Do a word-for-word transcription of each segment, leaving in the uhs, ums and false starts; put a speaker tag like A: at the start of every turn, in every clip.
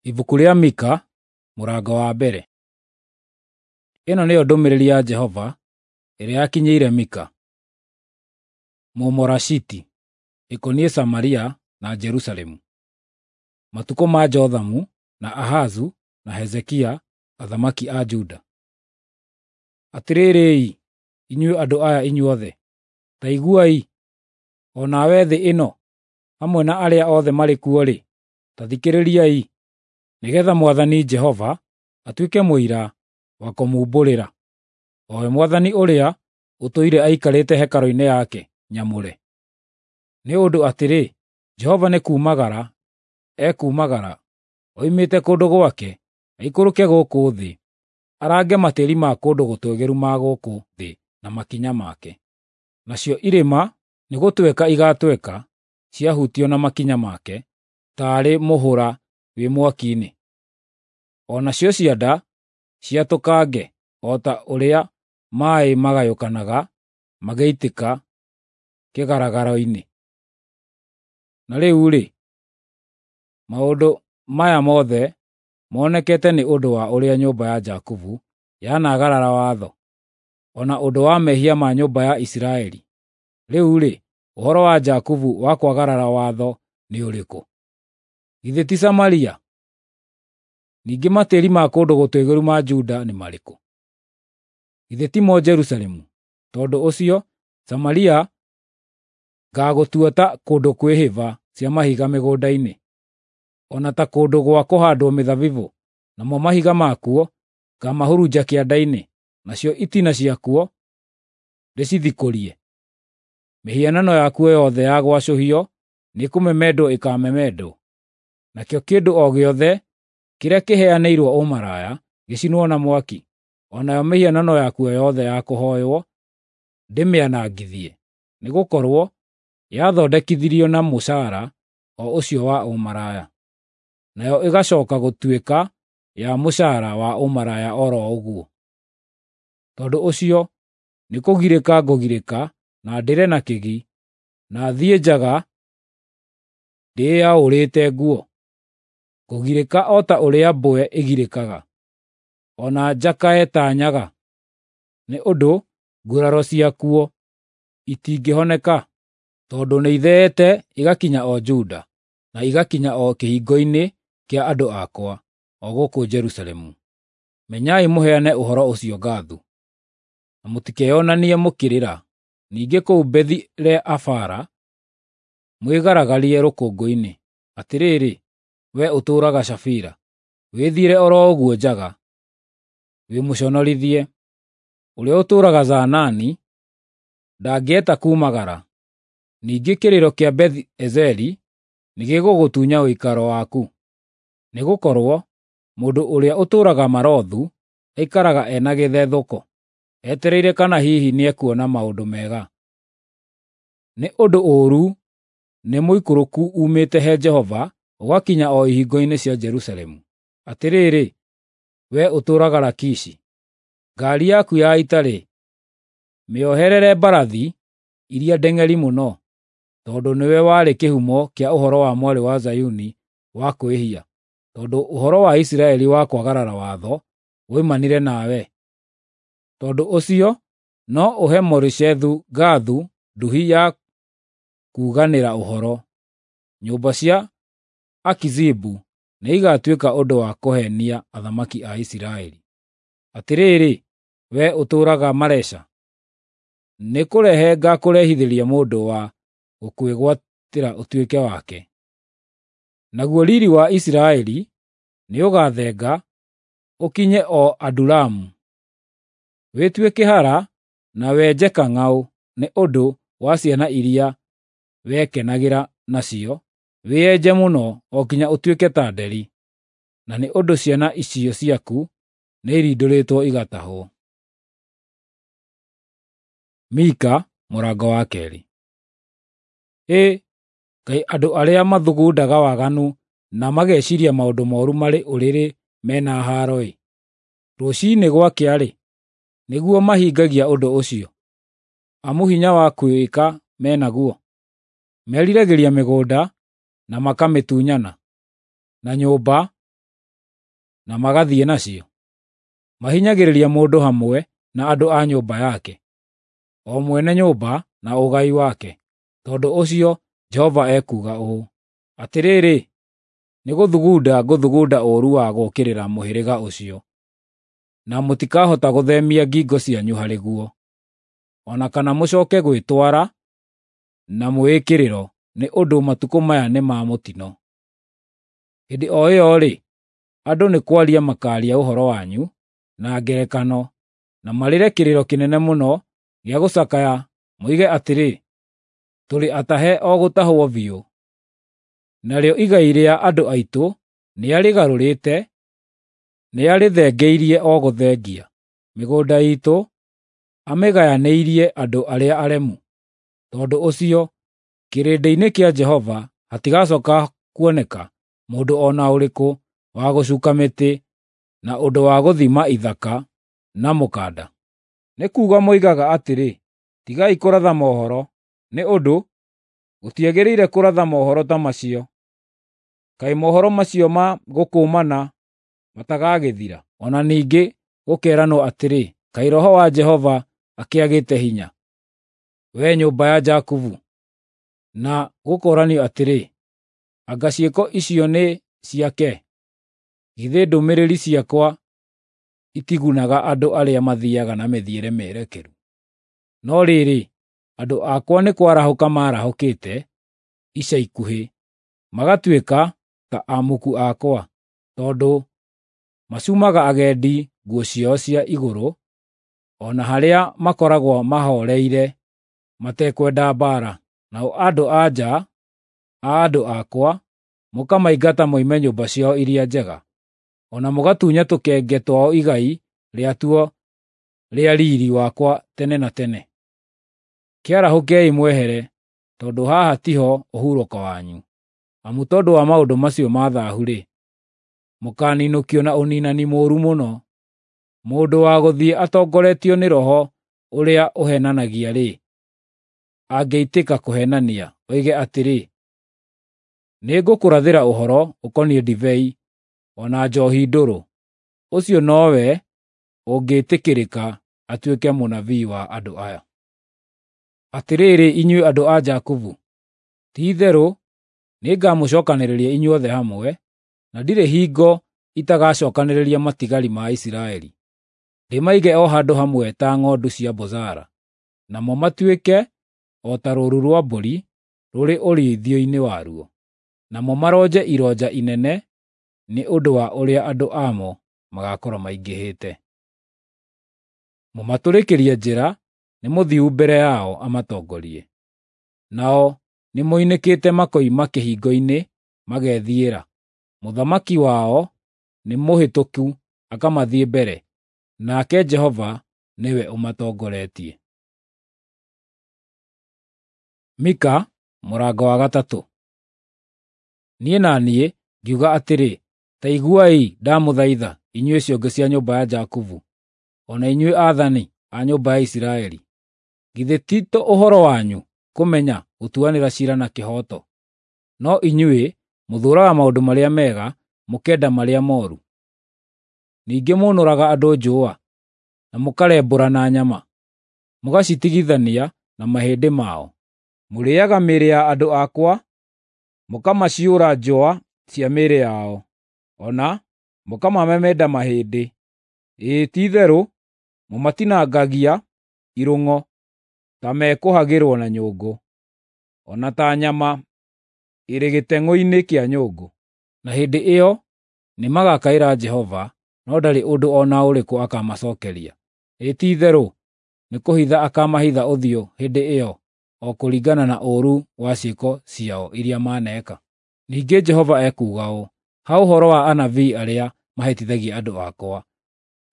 A: Ibuku rĩa Mika, mũrango wa mbere. Ĩno nĩyo ndũmĩrĩri ya Jehova ĩrĩa yakinyĩire Mika, Mũmorashiti, ĩkoniĩ Samaria na Jerusalemu. Matukũ ma Jothamu, na Ahazu, na Hezekia, athamaki a Juda. Atĩrĩrĩ-i, inyuĩ andũ aya inyuothe, ta iguai, o nawe thĩ ĩno, hamwe na arĩa othe marĩ kuo-rĩ, ta thikĩrĩriai, nĩgeetha Mwathani Jehova atuĩke mũira wa kũmumbũrĩra, o we Mwathani ũrĩa ũtũire aikarĩte hekarũ-inĩ yake nyamũre. Nĩ ũndũ atĩrĩ, Jehova nĩkumagara ekuumagara oimĩte kũndũ gwake aikũrũke gũkũ thĩ, arange matĩĩri ma kũndũ gũtũũgĩru ma gũkũ thĩ na makinya make. Nacio irĩma nĩgũtweka igaatweka ciahutio na makinya make, taarĩ mũhũra wĩ mwaki-inĩ. O nacio cianda ciatũkange o ta ũrĩa maaĩ magayũkanaga magĩitĩka kĩgaragaro-inĩ. Na rĩu-rĩ, maũndũ maya mothe monekete nĩ ũndũ wa ũrĩa nyũmba ya Jakubu yanaagarara watho, o na ũndũ wa mehia ma nyũmba ya Isiraeli. Rĩu-rĩ, ũhoro wa Jakubu wa kwagarara watho nĩ ũrĩkũ? Githĩ ti Samaria? Ningĩ matĩĩri ma kũndũ gũtũũgĩru ma Juda nĩ marĩkũ? Githĩ timo Jerusalemu? Tondũ ũcio Samaria ngaagũtua ta kũndũ kwĩ hĩba cia mahiga mĩgũnda-inĩ, o na ta kũndũ gwa kũhaandwo mĩthabibũ, namo mahiga makuo ngaamahurunja kĩanda-inĩ, nacio itina ciakuo ndĩcithikũrie. Mĩhianano yakuo yothe ya gwacũhio nĩkũmemendwo ĩkaamemendwo, nakĩo kĩndũ o gĩothe kĩrĩa kĩheanĩirwo ũmaraya gĩcinwo na mwaki, o nayo mĩhianano yakuo yothe ya kũhooywo ndĩmĩanangithie, nĩgũkorwo yathondekithirio na mũcaara o ũcio wa ũmaraya, nayo ĩgacooka gũtuĩka ya mũcaara wa ũmaraya o ro ũguo. Tondũ ũcio nĩkũgirĩka ngũgirĩka na ndĩre na kĩgi, na thiĩ njaga ndĩyaũrĩte nguo. Ngũgirĩka o ta ũrĩa mbwe ĩgirĩkaga, o na njakae ta nyaga, nĩ ũndũ nguraro ciakuo itingĩhoneka, tondũ nĩitheete igakinya o Juda, na igakinya o kĩhingo-inĩ kĩa andũ akwa, o gũkũ Jerusalemu. Menyai mũheane ũhoro ũcio Gathu, na mũtikeyonanie mũkĩrĩra. Ningĩ kũu Bethi-Le-Afara mwĩgaragarie rũkũngũ-inĩ. Atĩrĩrĩ, wee ũtũũraga Shafira, wĩthiĩre o ro ũguo njaga, wĩmũconorithie. Ũrĩa ũtũũraga Zaanani ndangĩeta kuumagara. Ningĩ kĩrĩro kĩa Bethi-Ezeli nĩgĩgũgũtunya ũikaro waku. Nĩgũkorwo mũndũ ũrĩa ũtũũraga Marothu aikaraga e na gĩthethũko, etereire kana hihi nĩekuona maũndũ mega. Nĩ ũndũ ũũru nĩ mũikũrũku uumĩte he Jehova ũgakinya o ihingo-inĩ cia Jerusalemu. Atĩrĩrĩ, wee ũtũũraga Lakishi, ngaari yaku ya ita-rĩ, mĩoherere mbarathi iria ndeng'eri mũno, tondũ nĩwe warĩ kĩhumo kĩa ũhoro wa mwarĩ wa Zayuni wa kwĩhia, tondũ ũhoro wa Isiraeli wa kwagarara watho woimanire nawe. Tondũ ũcio no ũhe Moreshethu-Gathu nduhi ya kuuganĩra ũhoro. Nyũmba cia Akizibu nĩigatuĩka ũndũ wa kũhenia athamaki a Isiraeli. Atĩrĩrĩ, wee ũtũũraga Maresha, nĩkũrehe ngaakũrehithĩria mũndũ wa gũkwĩgwatĩra ũtuĩke wake. Naguo riiri wa Isiraeli nĩũgathenga ũkinye o Adulamu. Wĩtue kĩhara na wenje kang'aũ nĩ ũndũ wa ciana iria wekenagĩra nacio, wĩyenje mũno o nginya ũtuĩke ta nderi, na nĩ ũndũ ciana icio ciaku nĩirindũrĩtwo igatahwo. Mika mũrango wa keerĩ. Hĩ, kaĩ andũ arĩa mathugundaga waganu na mageciiria maũndũ mooru marĩ ũrĩrĩ me na haaro-ĩ! Rũciinĩ gwakĩa-rĩ, nĩguo mahingagia ũndũ ũcio, amu hinya wa kwĩĩka me naguo. Meriragĩria mĩgũnda na makamĩtunyana, na nyũmba na magathiĩ nacio? Mahinyagĩrĩria mũndũ hamwe na andũ a nyũmba yake, o mwene nyũmba na ũgai wake. Tondũ ũcio Jehova ekuuga ũũ: Atĩrĩrĩ, nĩ gũthugunda ngũthugunda ũũru wa gũũkĩrĩra mũhĩrĩga ũcio, na mũtikahota gũthemia ngingo cianyu harĩ guo, o na kana mũcoke gwĩtwara na mwĩĩkĩrĩro, nĩ ũndũ matukũ maya nĩ ma mũtino. Hĩndĩ o ĩyo-rĩ, andũ nĩ kwaria makaaria ũhoro wanyu na ngerekano, na marĩre kĩrĩro kĩnene mũno gĩa gũcakaya, moige atĩrĩ, ‘Tũrĩ atahe o gũtahwo biũ. Narĩo igai rĩa andũ aitũ nĩarĩgarũrĩte, nĩarĩthengeirie o gũthengia. Mĩgũnda iitũ amĩgayanĩirie andũ arĩa aremu.’ Tondũ ũcio, kĩrĩndĩ-inĩ kĩa Jehova hatigacoka kuoneka mũndũ o na ũrĩkũ wa gũcuka mĩtĩ na ũndũ wa gũthima ithaka na mũkanda. Nĩ kuuga moigaga atĩrĩ, ‘Tigai kũratha mohoro, nĩ ũndũ gũtiagĩrĩire kũratha mohoro ta macio. Kaĩ mohoro macio ma gũkũmana matagagĩthira?’ O na ningĩ gũkeeranwo atĩrĩ, ‘Kaĩ Roho wa Jehova akĩagĩte hinya, wee nyũmba ya Jakubu?’ Na gũkoranio atĩrĩ, ‘Anga ciĩko icio nĩ ciake? Githĩ ndũmĩrĩri ciakwa itigunaga andũ arĩa mathiiaga na mĩthiĩre mĩerekeru?’ No rĩrĩ, andũ akwa nĩ kwarahũka maarahũkĩte ica ikuhĩ, magatuĩka ta amuku akwa, tondũ macumaga agendi nguo ciao cia igũrũ, o na harĩa makoragwo mahooreire matekwenda mbaara. Nao andũ-a-nja a andũ akwa mũkamaingata moime nyũmba ciao iria njega, o na mũgatunya tũkenge twao igai rĩatuo rĩa riiri wakwa tene na tene. Kĩarahũkei mwehere, tondũ haha tiho ũhurũko wanyu. Amu tondũ wa maũndũ macio ma thaahu-rĩ, mũkaaninũkio na ũniinani mũũru mũno. Mũndũ wa gũthiĩ atongoretio nĩ roho ũrĩa ũheenanagia-rĩ, angĩitĩka kũheenania, oige atĩrĩ, ‘Nĩngũkũrathĩra ũhoro ũkoniĩ ndibei o na njoohi ndũrũ,’ ũcio nowe ũngĩĩtĩkĩrĩka atuĩke mũnabii wa andũ aya. Atĩrĩrĩ, inyuĩ andũ a Jakubu, ti-itherũ nĩngamũcookanĩrĩria inyuothe hamwe, na ndirĩ hingo itagacookanĩrĩria matigari ma Isiraeli, ndĩmaige o handũ hamwe ta ng'ondu cia Bozara, namo matuĩke o ta rũũru rwa mbũri rũrĩ ũrĩithio-inĩ waruo. Namo maronje ironja inene nĩ ũndũ wa ũrĩa andũ amo magaakorwo maingĩhĩte. Mũmatũrĩkĩrie njĩra nĩ mũthiu mbere yao amatongorie. Nao nĩmoinĩkĩte makoima kĩhingo-inĩ magethiĩra. Mũthamaki wao nĩ mũhĩtũku akamathiĩ mbere, nake Jehova nĩwe ũmatongoretie. Mika mũrango wa gatatũ. Niĩ na niĩ ngiuga atĩrĩ, “Ta iguai ndamũthaitha, inyuĩ ciongo cia nyũmba ya Jakubu, o na inyuĩ aathani a nyũmba ya Isiraeli. Githĩ ti ũhoro wanyu kũmenya gũtuanĩra ciira na kĩhooto? No inyuĩ mũthũũraga maũndũ marĩa mega, mũkenda marĩa mooru. Ningĩ mũnũraga andũ njũa, na mũkarembũrana nyama, mũgacitigithania na mahĩndĩ mao. Mũrĩĩaga mĩĩrĩ ya andũ akwa, mũkamaciũra njũa cia mĩĩrĩ yao, o na mũkamamemenda mahĩndĩ. Ĩĩ, ti-itherũ mũmatinangagia irung'o ta mekũhagĩrwo na nyũngũ, o na ta nyama ĩrĩ gĩteng'ũ-inĩ kĩa nyũngũ.” Na hĩndĩ ĩyo nĩmagakaĩra Jehova, no ndarĩ ũndũ o na ũrĩkũ akamacookeria. Ĩĩ, ti-itherũ nĩkũhitha akaamahitha ũthiũ hĩndĩ ĩyo o kũringana na ũũru wa ciĩko ciao iria maneeka. Ningĩ Jehova ekuuga ũũ, ha ũhoro wa anabii arĩa mahĩtithagia andũ akwa,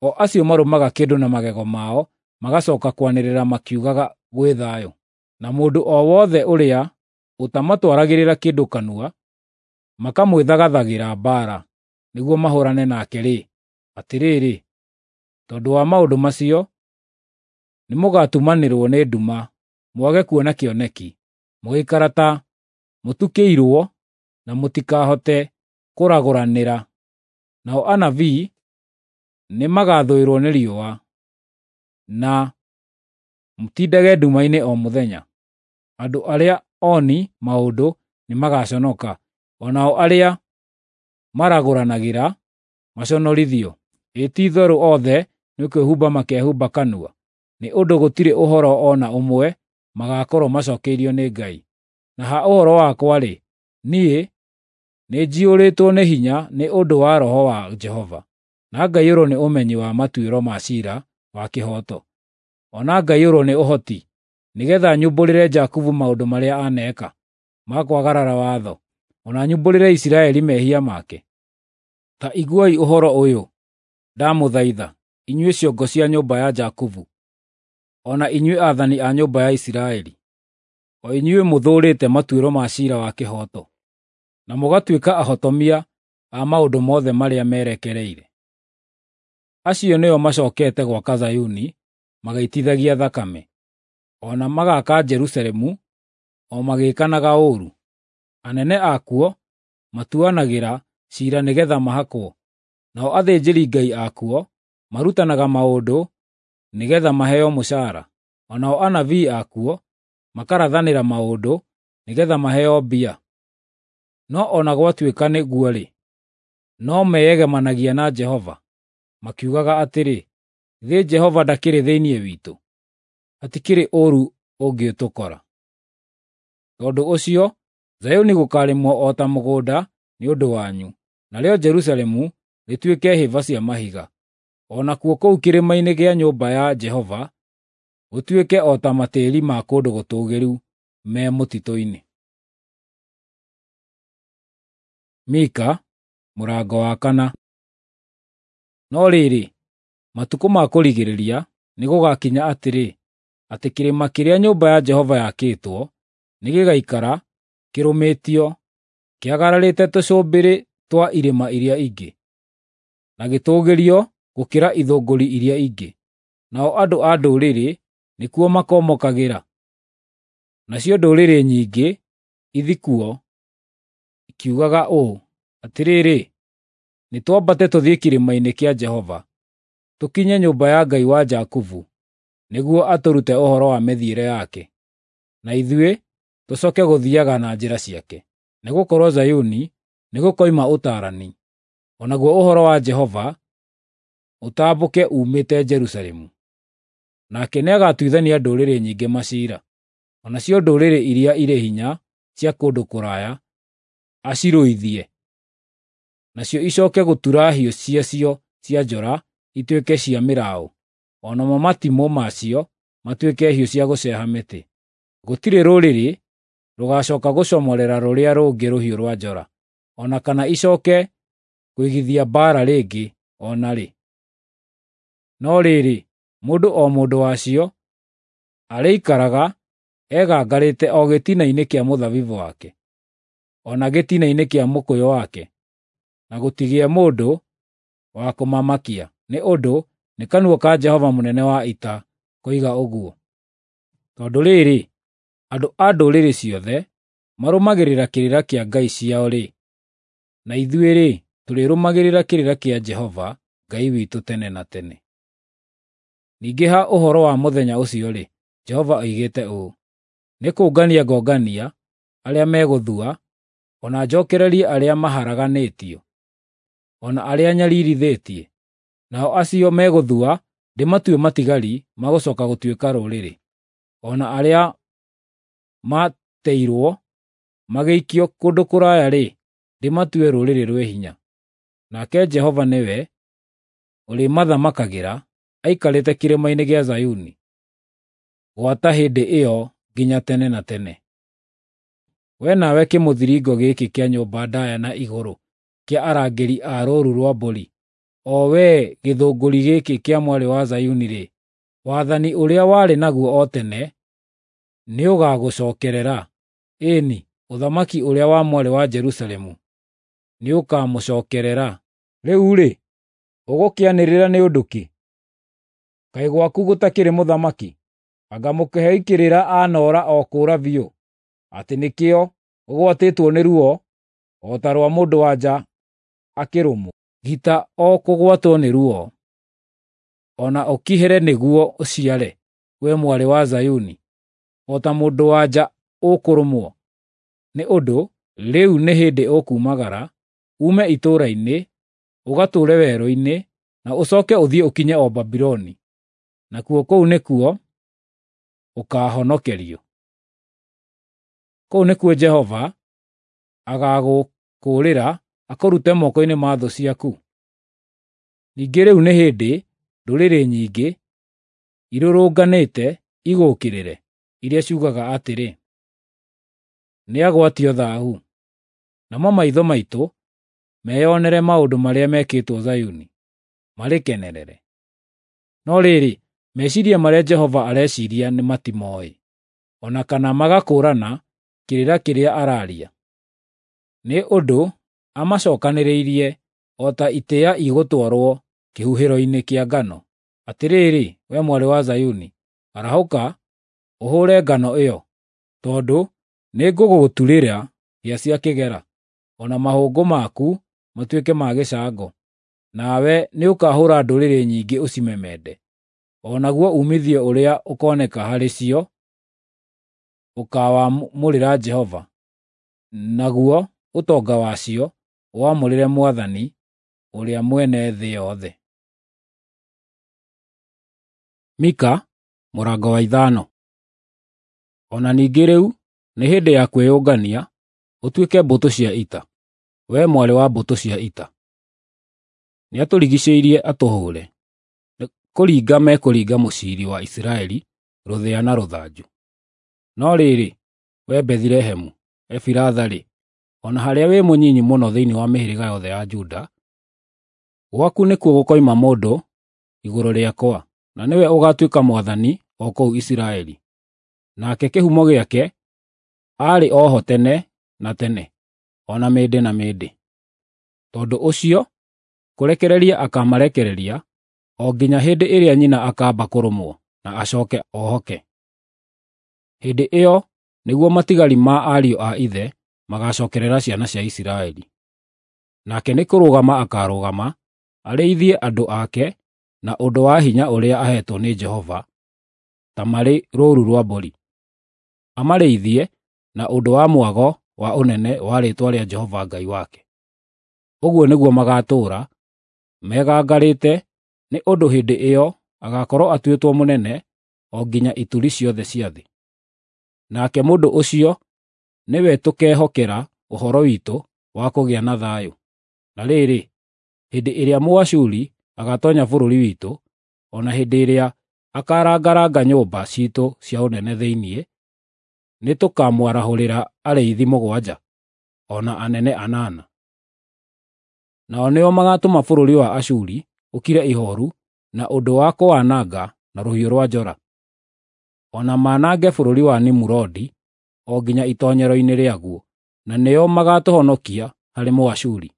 A: o acio marũmaga kĩndũ na magego mao magacooka kwanĩrĩra makiugaga gwĩ thayũ, na mũndũ o wothe ũrĩa ũtamatwaragĩrĩra kĩndũ kanua, makamwĩthagathagĩra mbaara nĩguo mahũũrane nake-rĩ, atĩrĩrĩ, tondũ wa maũndũ macio, nĩmũgatumanĩrwo nĩ nduma mwage kuona kĩoneki, mũgũikara ta mũtukĩirwo na mũtikahote kũragũranĩra. Nao anabii nĩmagathũĩrwo nĩ riũa, na mũtindage nduma-inĩ o mũthenya. Andũ arĩa oni maũndũ nĩmagaconoka, o nao arĩa maragũranagĩra maconorithio. Ĩ ti-itherũ othe nĩ kwĩhumba makehumba kanua, nĩ ũndũ gũtirĩ ũhoro o na ũmwe magaakorwo macookeirio nĩ Ngai. Na ha ũhoro wakwa-rĩ, niĩ nĩnjiyũrĩtwo nĩ hinya nĩ ũndũ wa Roho wa Jehova, na ngaiyũrwo nĩ ũmenyi wa matuĩro ma ciira wa kĩhooto, o na ngaiyũrwo nĩ ũhoti, nĩgeetha nyumbũrĩre Jakubu maũndũ marĩa aneeka ma kwagarara watho, o na nyumbũrĩre Isiraeli mehia make. Ta iguai ũhoro ũyũ, ndamũthaitha, inyuĩ ciongo cia nyũmba ya Jakubu, o na inyuĩ aathani a nyũmba ya Isiraeli, o inyuĩ mũthũũrĩte matuĩro ma ciira wa kĩhooto, na mũgatuĩka ahotomia a maũndũ mothe marĩa merekereire. Acio nĩo macookete gwaka Zayuni magaitithagia thakame, o na magaaka Jerusalemu o magĩĩkanaga ũũru. Anene akuo matuanagĩra ciira nĩgeetha mahakwo, nao athĩnjĩri-Ngai akuo marutanaga maũndũ nĩgeetha maheo mũcaara, o nao anabii akuo makarathanĩra maũndũ nĩgeetha maheo mbia. No o na gwatuĩka nĩguo-rĩ, no meyegemanagia na Jehova, makiugaga atĩrĩ, “Githĩ Jehova ndakĩrĩ thĩinĩ witũ? Hatikĩrĩ ũũru ũngĩtũkora.” Tondũ ũcio Zayuni gũkaarĩmwo o ta mũgũnda nĩ ũndũ wanyu, narĩo Jerusalemu rĩtuĩke hĩba cia mahiga, o nakuo kũu kĩrĩma-inĩ kĩa nyũmba ya Jehova gũtuĩke o ta matĩĩri ma kũndũ gũtũũgĩru me mũtitũ-inĩ. Mika mũrango wa kana. No rĩrĩ, matukũ ma kũrigĩrĩria nĩgũgakinya atĩrĩ, atĩ kĩrĩma kĩrĩa nyũmba ya Jehova yakĩtwo nĩgĩgaikara kĩrũmĩtio, kĩagararĩte tũcũmbĩrĩ twa irĩma iria ingĩ, na gĩtũũgĩrio gũkĩra ithũngũri iria ingĩ. Nao andũ a ndũrĩrĩ nĩkuo makomokagĩra, nacio ndũrĩrĩ nyingĩ ithi kuo, ikiugaga ũũ, “Atĩrĩrĩ, nĩtwambate tũthiĩ kĩrĩma-inĩ kĩa Jehova, tũkinye nyũmba ya Ngai wa Jakubu, nĩguo atũrute ũhoro wa mĩthiĩre yake, na ithuĩ tũcooke gũthiiaga na njĩra ciake.” Nĩgũkorwo Zayuni nĩgũkoima ũtaarani, o naguo ũhoro wa Jehova ũtambũke uumĩte Jerusalemu. Nake nĩagatuithania ndũrĩrĩ nyingĩ maciira, o nacio ndũrĩrĩ iria irĩ hinya cia kũndũ kũraya acirũithie, nacio icooke gũtura hiũ ciacio cia njora ituĩke cia mĩraũ, o namo matimũ macio matuĩke hiũ cia gũceeha mĩtĩ. Gũtirĩ rũrĩrĩ rũgaacooka gũcomorera rũrĩa rũngĩ rũhiũ rwa njora, o na kana icooke kũigithia mbaara rĩngĩ o na rĩ. No rĩrĩ, mũndũ o mũndũ wacio arĩikaraga egangarĩte o gĩtina-inĩ kĩa mũthabibũ wake, o na gĩtina-inĩ kĩa mũkũyũ wake, na gũtigĩe mũndũ wa kũmamakia, nĩ ũndũ nĩ kanua ka Jehova mũnene wa ita koiga ũguo. Tondũ rĩrĩ, andũ a ndũrĩrĩ ciothe marũmagĩrĩra kĩrĩra kĩa ngai ciao-rĩ, na ithuĩ-rĩ, tũrĩrũmagĩrĩra kĩrĩra kĩa Jehova Ngai witũ tene na tene. Ningĩ ha ũhoro wa mũthenya ũcio-rĩ, Jehova oigĩte ũũ, “Nĩ kũngania ngongania arĩa megũthua, o na njookererie arĩa maharaganĩtio, o na arĩa nyariirithĩtie. Nao acio megũthua ndĩmatue matigari ma gũcooka gũtuĩka rũrĩrĩ, o na arĩa maateirwo magĩikio kũndũ kũraya-rĩ, ndĩmatue rũrĩrĩ rwĩ hinya.” Nake Jehova nĩwe ũrĩmathamakagĩra aikarĩte kĩrĩma-inĩ gĩa Zayuni, gwata hĩndĩ ĩyo nginya tene na tene. Wee nawe kĩmũthiringo gĩkĩ kĩa nyũmba ndaaya na igũrũ kĩa arangĩri a rũũru rwa mbũri, o wee gĩthũngũri gĩkĩ kĩa Mwarĩ wa Zayuni-rĩ, wathani ũrĩa warĩ naguo o tene nĩũgagũcookerera, ĩĩ-ni, ũthamaki ũrĩa wa Mwarĩ wa Jerusalemu nĩũkamũcookerera. Rĩu-rĩ, ũgũkĩanĩrĩra nĩ ũndũ kĩ? Kaĩ gwaku gũtakĩrĩ mũthamaki? Anga mũkĩhei kĩrĩra anoora o kũũra biũ, atĩ nĩkĩo ũgwatĩtwo nĩ ruo o ta rwa mũndũ-wa-nja akĩrũmwo? Gita o kũgwatwo nĩ ruo, o na ũkihĩre nĩguo ũciare, we mwarĩ wa Zayuni, o ta mũndũ-wa-nja ũkũrũmwo. Nĩ ũndũ rĩu nĩ hĩndĩ ũkuumagara, uume itũũra-inĩ, ũgatũũre werũ-inĩ, na ũcoke ũthiĩ ũkinye o Babuloni, nakuo kũu nĩkuo ũkaahonokerio. Kũu nĩkuo Jehova agaagũkũũrĩra akũrute moko-inĩ ma thũ ciaku. Ningĩ rĩu nĩ hĩndĩ ndũrĩrĩ nyingĩ irũrũnganĩte igũũkĩrĩre, iria ciugaga atĩrĩ, “Nĩagwatio thaahu.” Namo maitho maitũ meyonere maũndũ marĩa mekĩtwo Zayuni, marĩkenerere. No rĩrĩ, meciiria marĩa Jehova areciiria nĩmatimooĩ, o na kana magakũũrana kĩrĩra kĩrĩa araaria. Nĩ ũndũ amacookanĩrĩirie o ta itĩĩa igũtwarwo kĩhuhĩro-inĩ kĩa ngano. Atĩrĩrĩ, wee mwarĩ wa Zayuni, arahũka ũhũũre ngano ĩyo, tondũ nĩngũgũturĩra hĩa cia kĩgera, o na mahũngũ maku matuĩke ma gĩcango. Nawe nĩũkahũũra ndũrĩrĩ nyingĩ ũcimemende, o naguo uumithio ũrĩa ũkooneka harĩ cio ũkaawamũrĩra Jehova, naguo ũtonga wacio ũwamũrĩre Mwathani ũrĩa mwene thĩ yothe. Mika mũrango wa ithano. O na ningĩ rĩu nĩ hĩndĩ ya kwĩyũngania ũtuĩke mbũtũ cia ita, wee mwarĩ wa mbũtũ cia ita. Nĩatũrigiicĩirie atũhũũre, nĩ kũringa mekũringa mũciiri wa Isiraeli rũthĩa na rũthanju. No rĩrĩ, wee Bethilehemu Efiratha-rĩ, o na harĩa wĩ mũnyinyi mũno thĩinĩ wa mĩhĩrĩga yothe ya Juda, gwaku nĩkuo gũkoima mũndũ igũrũ rĩakwa, na nĩwe ũgaatuĩka mwathani o kũu Isiraeli. Nake kĩhumo gĩake aarĩ o ho tene na tene, o na mĩndĩ na mĩndĩ. Tondũ ũcio kũrekereria akaamarekereria o nginya hĩndĩ ĩrĩa nyina akaamba kũrũmwo na acooke ohoke. Hĩndĩ ĩyo nĩguo matigari ma ariũ a ithe magacookerera ciana cia Isiraeli. Nake nĩ kũrũgama akaarũgama arĩithie andũ ake na ũndũ wa hinya ũrĩa aheetwo nĩ Jehova ta marĩ rũũru rwa mbũri. Amarĩithie na ũndũ wa mwago wa ũnene wa rĩĩtwa rĩa Jehova Ngai wake. Ũguo nĩguo magaatũũra megangarĩte, nĩ ũndũ hĩndĩ ĩyo agaakorwo atuĩtwo mũnene o nginya ituri ciothe cia thĩ. Nake mũndũ ũcio nĩwe tũkehokera ũhoro witũ wa kũgĩa na thayũ. Na rĩrĩ, hĩndĩ ĩrĩa Mũashuri agaatoonya bũrũri witũ, o na hĩndĩ ĩrĩa akaarangaranga nyũmba ciitũ cia ũnene thĩinĩ, nĩtũkamwarahũrĩra arĩithi mũgwanja, o na anene anana. Nao nĩo magaatũma bũrũri wa Ashuri ũkire ihooru na ũndũ wa kũwananga na rũhiũ rwa njora, o na manange bũrũri wa Nimurodi o nginya itoonyero-inĩ rĩaguo, na nĩo magaatũhonokia harĩ Mũashuri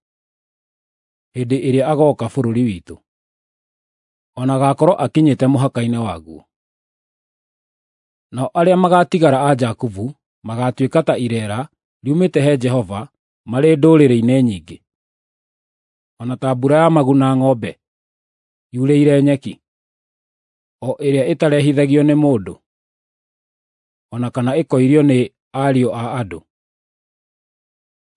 A: hĩndĩ ĩrĩa agooka bũrũri witũ, o na agaakorwo akinyĩte mũhaka-inĩ waguo. Nao arĩa magaatigara a Jakubu magaatuĩka ta ireera riumĩte he Jehova marĩ ndũrĩrĩ-inĩ nyingĩ, o na ta mbura ya maguna ng'ombe yurĩire nyeki, o ĩrĩa ĩtarehithagio nĩ mũndũ, o na kana ĩkoirio nĩ ariũ a andũ.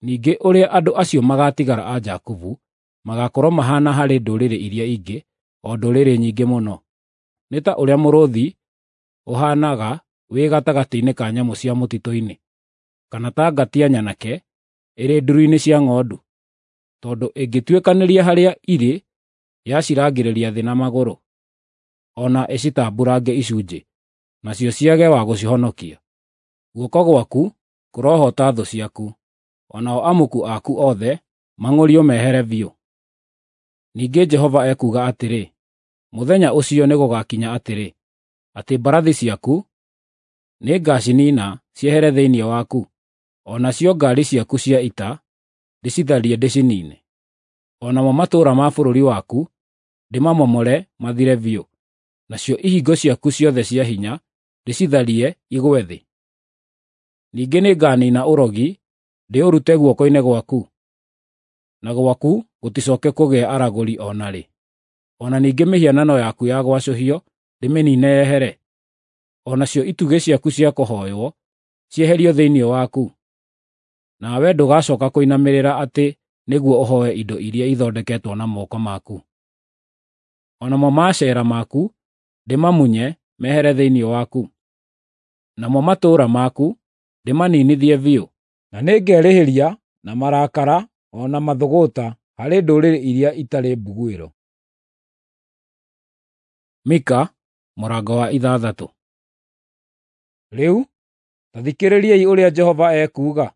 A: Ningĩ ũrĩa andũ acio magaatigara a Jakubu magaakorwo mahaana harĩ ndũrĩrĩ iria ingĩ, o ndũrĩrĩ nyingĩ mũno, nĩ ta ũrĩa mũrũũthi ũhaanaga wĩ gatagatĩ-inĩ ka nyamũ cia mũtitũ-inĩ, kana ta ngatia nyanake ĩrĩ ndũru-inĩ cia ng'ondu, tondũ ĩngĩtuĩkanĩria harĩa irĩ yacirangĩrĩria thĩ na magũrũ, o na ĩcitambuurange icunjĩ, nacio ciage wa gũcihonokia. Guoko gwaku kũrohoota thũ ciaku, o nao amuku aku othe mang'ũrio mehere biũ. Ningĩ Jehova ekuuga atĩrĩ, mũthenya ũcio nĩgũgakinya atĩrĩ, atĩ mbarathi ciaku nĩngaciniina ciehere thĩinĩ waku, o nacio ngaari ciaku cia ita ndĩcitharie ndĩciniine. O namo matũũra ma bũrũri waku ndĩmamomore mathire biũ, nacio ihingo ciaku ciothe cia hinya ndĩcitharie igwe thĩ. Ningĩ nĩnganiina ũrogi ndĩũrute guoko-inĩ gwaku, na gwaku gũticoke kũgĩa aragũri o na rĩ. O na ningĩ mĩhianano yaku ya gwacũhio ndĩmĩniine yehere, o nacio itugĩ ciaku cia kũhooywo cieherio thĩinĩ waku. Nawe ndũgacooka kũinamĩrĩra atĩ nĩguo ũhooe indo iria ithondeketwo na moko maku. O namo maacera maku ndĩmamunye mehere thĩinĩ waku, namo matũũra maku ndĩmaninithie biũ. Na nĩngerĩhĩria na marakara o na mathũgũta harĩ ndũrĩrĩ iria itarĩ mbuguĩro. Mika mũrango wa ithathatũ. Rĩu ta thikĩrĩriai ũrĩa Jehova ekuuga: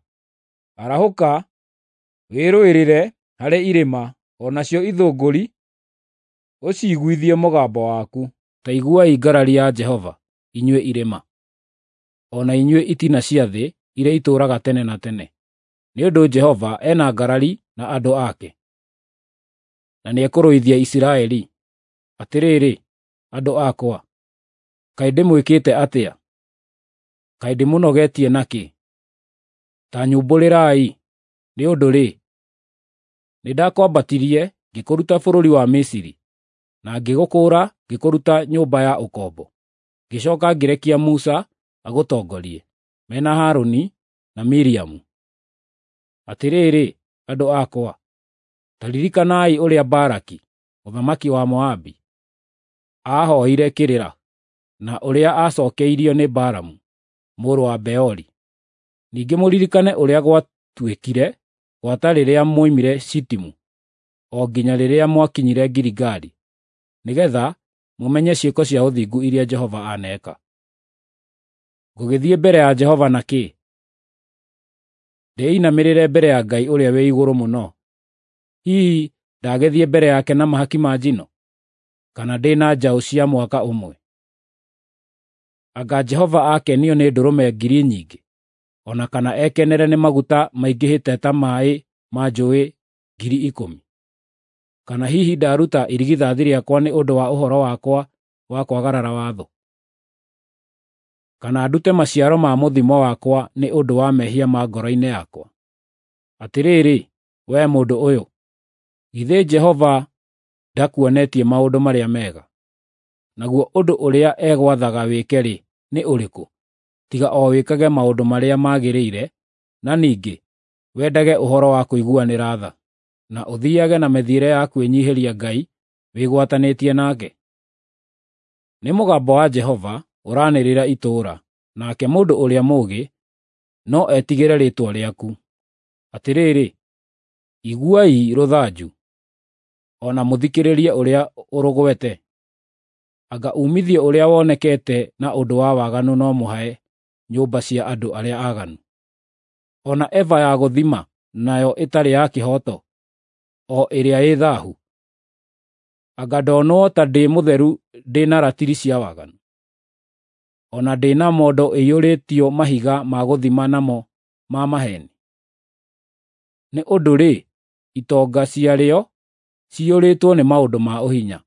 A: Arahũka, wĩrũĩrĩre harĩ irĩma, o nacio ithũngũri ũciiguithie mũgambo waku. Ta iguai ngarari ya Jehova, inyuĩ irĩma, o na inyuĩ itina cia thĩ iria itũũraga tene na tene. Nĩ ũndũ Jehova ena ngarari na andũ ake, na nĩekũrũithia Isiraeli. Atĩrĩrĩ, andũ akwa, kaĩ ndĩmwĩkĩte atĩa? Kaĩ ndĩmũnogetie nakĩ? Ta nyumbũrĩrai. Nĩ ũndũ-rĩ, nĩndakwambatirie ngĩkũruta bũrũri wa Misiri, na ngĩgũkũũra ngĩkũruta nyũmba ya ũkombo. Ngĩcooka ngĩrekia Musa agũtongorie, me na Harũni na Miriamu. Atĩrĩrĩ, andũ akwa, ta ririkanai ũrĩa Balaki, mũthamaki wa Moabi, aahooire kĩrĩra, na ũrĩa aacookeirio nĩ Balamu mũrũ wa Beori. Ningĩ mũririkane ũrĩa gwatuĩkire gwata rĩrĩa mwoimire Shitimu, o nginya rĩrĩa mwakinyire Giligali, nĩgeetha mũmenye ciĩko cia ũthingu iria Jehova aneeka. Ngũgĩthiĩ mbere ya Jehova na kĩ? Ndĩinamĩrĩre mbere ya Ngai ũrĩa wĩ igũrũ mũno? Hihi ndagĩthiĩ mbere yake na mahaki ma njino, kana ndĩ na njaũ cia mwaka ũmwe? Anga Jehova akenio nĩ ndũrũme ngiri nyingĩ, o na kana ekenere nĩ maguta maingĩhĩte ta maaĩ ma njũũĩ ngiri ikũmi? Kana hihi ndaruta irigithathi rĩakwa nĩ ũndũ wa ũhoro wakwa wa kwagarara watho? Kana ndute maciaro ma mũthimo wakwa nĩ ũndũ wa mehia ma ngoro-inĩ yakwa? Atĩrĩrĩ, wee mũndũ ũyũ, githĩ Jehova ndakuonetie maũndũ marĩa mega? Naguo ũndũ ũrĩa egwathaga wĩke-rĩ, nĩ ũrĩkũ, tiga o wĩkage maũndũ marĩa magĩrĩire, na ningĩ wendage ũhoro wa kũiguanĩra tha, na ũthiiage na mĩthiĩre ya kwĩnyiihĩria Ngai wĩgwatanĩtie nake? Nĩ mũgambo wa Jehova ũranĩrĩra itũũra, nake mũndũ ũrĩa mũũgĩ no etigĩre rĩĩtwa rĩaku. Atĩrĩrĩ, iguai rũthanju, o na mũthikĩrĩrie ũrĩa ũrũgwete. Anga uumithio ũrĩa wonekete na ũndũ wa waganu no mũhae nyũmba cia andũ arĩa aaganu? O na eba ya gũthima nayo ĩtarĩ ya kĩhooto, o ĩrĩa ĩ thaahu? Anga ndonwo ta ndĩ mũtheru ndĩ na ratiri cia waganu, o na ndĩ na mondo ĩiyũrĩtio mahiga ma gũthima namo ma maheeni? Nĩ ũndũ-rĩ, itonga ciarĩo ciyũrĩtwo nĩ maũndũ ma ũhinya,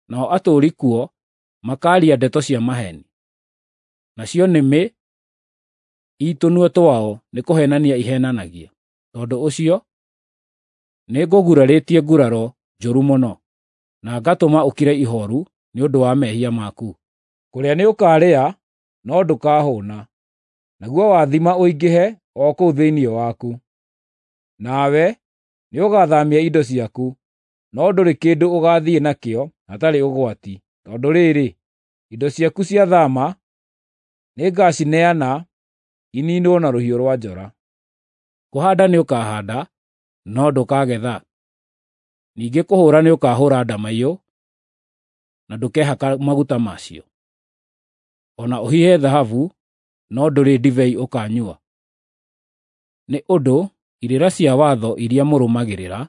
A: nao atũũri kuo makaaria ndeto cia maheeni. Nacio nĩmĩ ii tũnua twao nĩkũheenania iheenanagia. Tondũ ũcio nĩngũgurarĩtie nguraro njũru mũno, na ngatũma ũkire ihooru nĩ ũndũ wa mehia maku. Kũrĩa nĩũkarĩa, no ndũkahũũna, naguo wathima ũingĩhe o kũu thĩinĩ waku. Nawe nĩũgathaamia indo ciaku, no ndũrĩ kĩndũ ũgaathiĩ nakĩo hatarĩ ũgwati, tondũ rĩrĩ, indo ciaku cia thaama nĩngacineana iniinwo na rũhiũ rwa njora. Kũhaanda nĩũkahaanda, no ndũkagetha. Ningĩ kũhũũra nĩũkahũũra ndamaiyũ, na ndũkehaka maguta macio. O na ũhihe thahabu, no ndũrĩ ndibei ũkaanyua. Nĩ ũndũ irĩra cia watho iria mũrũmagĩrĩra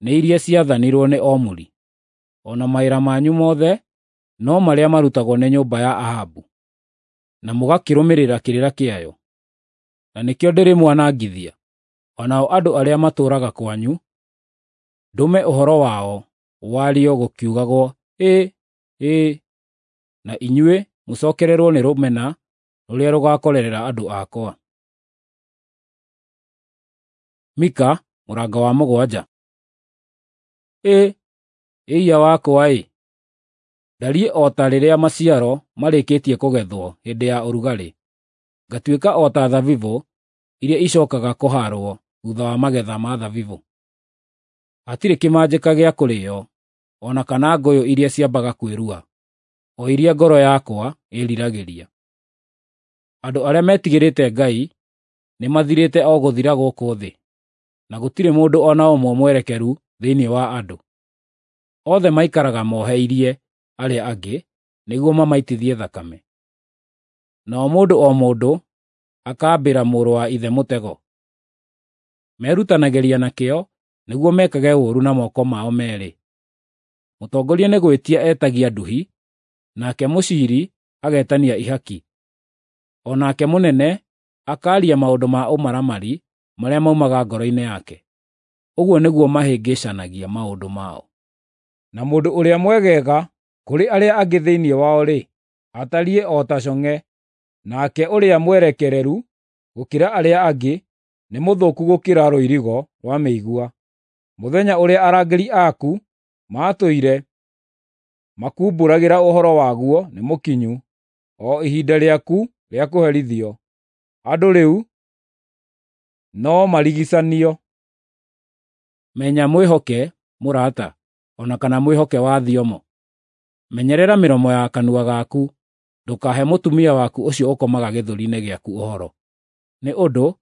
A: nĩ iria ciathanirwo nĩ Omuri, o na mawĩra manyu mothe no marĩa marutagwo nĩ nyũmba ya Ahabu, na mũgakĩrũmĩrĩra kĩrĩra kĩayo. Na nĩkĩo ndĩrĩmwanangithia, o nao andũ arĩa matũũraga kwanyu, ndũme ũhoro wao wario gũkiugagwo, ‘Ĩĩ, ĩĩ,’ na inyuĩ mũcookererwo nĩ rũmena rũrĩa rũgaakorerera andũ akwa. Mika Mũrango wa mũgwanja. Ĩ, ĩiya wakwa-ĩ! Ndariĩ o ta rĩrĩa maciaro marĩkĩtie kũgethwo hĩndĩ ya ũrugarĩ, ngatuĩka o ta thabibũ iria icookaga kũhaarwo thuutha wa magetha ma thabibũ. Hatirĩ kĩmanjĩka gĩa kũrĩĩo, o na kana ngũyũ iria ciambaga kwĩrua, o iria ngoro yakwa ĩĩriragĩria. Andũ arĩa metigĩrĩte Ngai nĩmathirĩte o gũthira gũkũ thĩ, na gũtirĩ mũndũ o na ũmwe mwerekeru thĩinĩ wa andũ. Othe maikaraga moheirie arĩa angĩ nĩguo mamaitithie thakame. Nao mũndũ o mũndũ akaambĩra mũrũ wa ithe mũtego. Merutanagĩria na kĩyo nĩguo mekage ũũru na moko mao meerĩ. Mũtongoria nĩ gwĩtia etagia nduhi, nake mũciiri agetania ihaki. O nake mũnene akaaria maũndũ ma ũmaramari marĩa maumaga ngoro-inĩ yake. Ũguo nĩguo mahĩngĩcanagia maũndũ mao. Na mũndũ ũrĩa mwegega kũrĩ arĩa angĩ thĩinĩ wao-rĩ, atariĩ o ta cong'e, nake ũrĩa mwerekereru gũkĩra arĩa angĩ nĩ mũthũku gũkĩra rũirigo rwa mĩigua. Mũthenya ũrĩa arangĩri aku maatũire makumbũragĩra ũhoro waguo nĩ mũkinyu, o ihinda rĩaku rĩa kũherithio. Andũ rĩu no marigicanio. Menya mwĩhoke mũrata, o na kana mwĩhoke wa thiomo. Menyerera mĩromo ya kanua gaku, ndũkahe mũtumia waku ũcio ũkomaga gĩthũri-inĩ gĩaku ũhoro. Nĩ ũndũ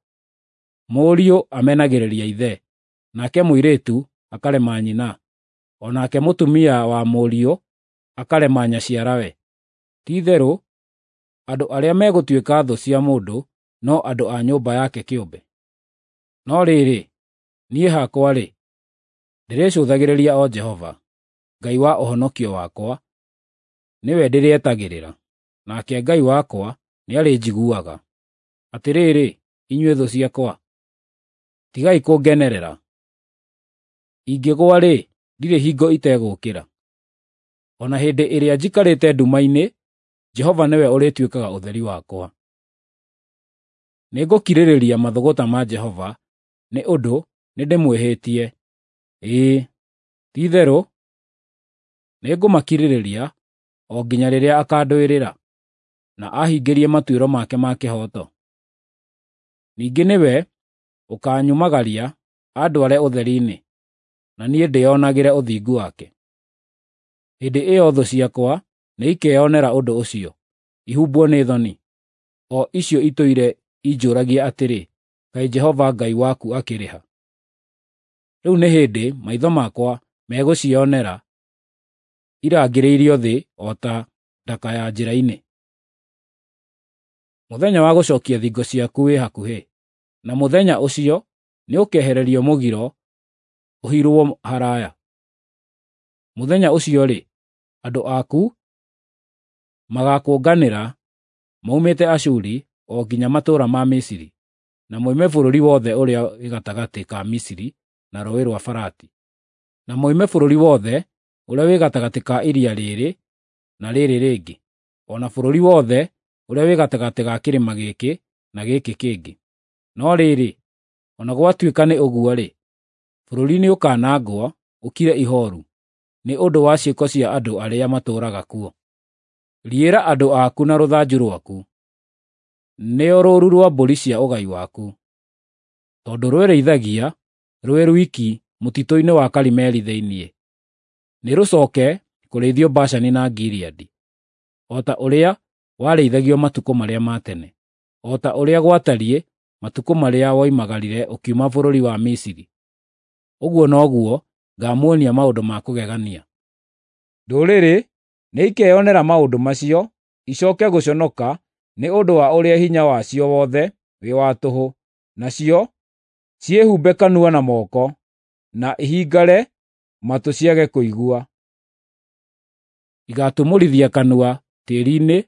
A: mũriũ amenagĩrĩria ithe, nake mũirĩtu akarema nyina, o nake mũtumia wa mũriũ akarema nyaciarawe. Ti-itherũ andũ arĩa megũtuĩka thũ cia mũndũ no andũ a nyũmba yake kĩũmbe. No rĩrĩ, niĩ hakwa-rĩ, ndĩrĩcũthagĩrĩria o Jehova, Ngai wa ũhonokio wakwa, nĩwe ndĩrĩetagĩrĩra, nake Ngai wakwa nĩarĩnjiguaga. Atĩrĩrĩ, inyuĩ thũ ciakwa, tigai kũngenerera! Ingĩgũa-rĩ, ndirĩ hingo itegũũkĩra. O na hĩndĩ ĩrĩa njikarĩte nduma-inĩ, Jehova nĩwe ũrĩtuĩkaga ũtheri wakwa. Nĩngũkirĩrĩria mathũgũta ma Jehova, nĩ ũndũ nĩndĩmwĩhĩtie. Ĩĩ, ti-itherũ nĩngũmakirĩrĩria o nginya rĩrĩa akaandũĩrĩra, na ahingĩrie matuĩro make ma kĩhooto. Ningĩ nĩwe ũkaanyumagaria andware ũtheri-inĩ, na niĩ ndĩĩonagĩre ũthingu wake. Hĩndĩ ĩyo thũ ciakwa nĩikeyonera ũndũ ũcio, ihumbwo nĩ thoni, o icio itũire injũũragia atĩrĩ, “Kaĩ Jehova Ngai waku akĩrĩ ha?” Rĩu nĩ hĩndĩ maitho makwa megũcionera irangĩrĩirio thĩ o ta ndaka ya njĩra-inĩ. Mũthenya wa gũcookia thingo ciaku wĩ hakuhĩ, na mũthenya ũcio nĩũkehererio mũgiro ũhirwo haraaya. Mũthenya ũcio-rĩ, andũ aku magaakũnganĩra moimĩte Ashuri o nginya matũũra ma Misiri, na moime bũrũri wothe ũrĩa wĩ gatagatĩ ka Misiri na Rũũĩ rwa Farati, na moime bũrũri wothe ũrĩa wĩ gatagatĩ ka iria rĩrĩ na rĩrĩ rĩngĩ, o na bũrũri wothe ũrĩa wĩ gatagatĩ ga kĩrĩma gĩkĩ na gĩkĩ kĩngĩ. No rĩrĩ, o na gwatuĩka nĩ ũguo-rĩ, bũrũri nĩũkanangwo ũkire ihooru nĩ ũndũ wa ciĩko cia andũ arĩa matũũraga kuo. Riĩra andũ aku na rũthanju rwaku, nĩo rũũru rwa mbũri cia ũgai waku, tondũ rwĩrĩithagia rwĩ rwiki mũtitũ-inĩ wa Karimeli thĩinĩ. Nĩrũcooke kũrĩithio Bashani na Gileadi, o ta ũrĩa warĩithagio matukũ marĩa ma tene, o ta ũrĩa gwatariĩ matukũ marĩa woimagarire ũkiuma bũrũri wa Misiri. Ũguo noguo ngaamuonia maũndũ ma kũgegania.
B: Ndũrĩrĩ nĩikeyonera maũndũ macio, icooke gũconoka nĩ ũndũ wa ũrĩa hinya wacio wothe wĩ wa tũhũ, nacio ciĩhumbe kanua na moko, na ihingare matũ ciage kũigua.
A: Igaatumũrithia kanua tĩĩri-inĩ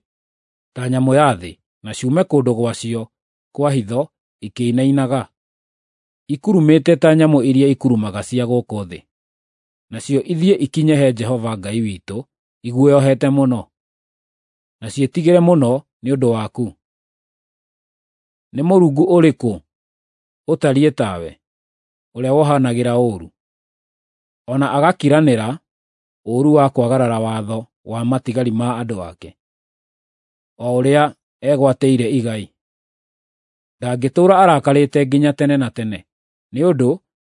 A: ta nyamũ ya thĩ, na ciume kũndũ gwacio kwa hitho ikĩinainaga, ikurumĩte ta nyamũ iria ikurumaga cia gũkũ thĩ. Nacio ithiĩ ikinye he Jehova Ngai witũ iguoyohete mũno, na ciĩtigĩre mũno nĩ ũndũ waku. Nĩ mũrungu ũrĩkũ ũtariĩ tawe, ũrĩa wohanagĩra ũũru, o na agakiranĩra ũũru wa kwagarara watho wa matigari ma andũ ake, o ũrĩa egwatĩire igai. Ndangĩtũũra arakarĩte nginya tene na tene, nĩ ũndũ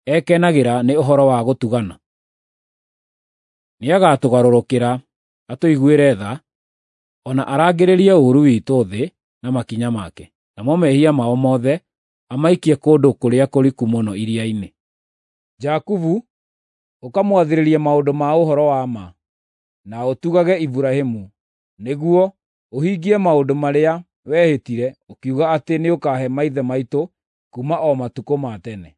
A: ekenagĩra nĩ ũhoro wa gũtugana. Nĩagatũgarũrũkĩra atũiguĩre tha, o na arangĩrĩrie ũũru witũ thĩ na makinya make, namo mehia mao mothe amaikie kũndũ kũrĩa kũriku mũno iria-inĩ. Jakubu ũkamwathĩrĩria maũndũ ma ũhoro wa ma, na ũtugage Iburahĩmu, nĩguo ũhingie maũndũ marĩa wehĩtire ũkiuga atĩ nĩũkahe maithe maitũ kuuma o matukũ ma tene.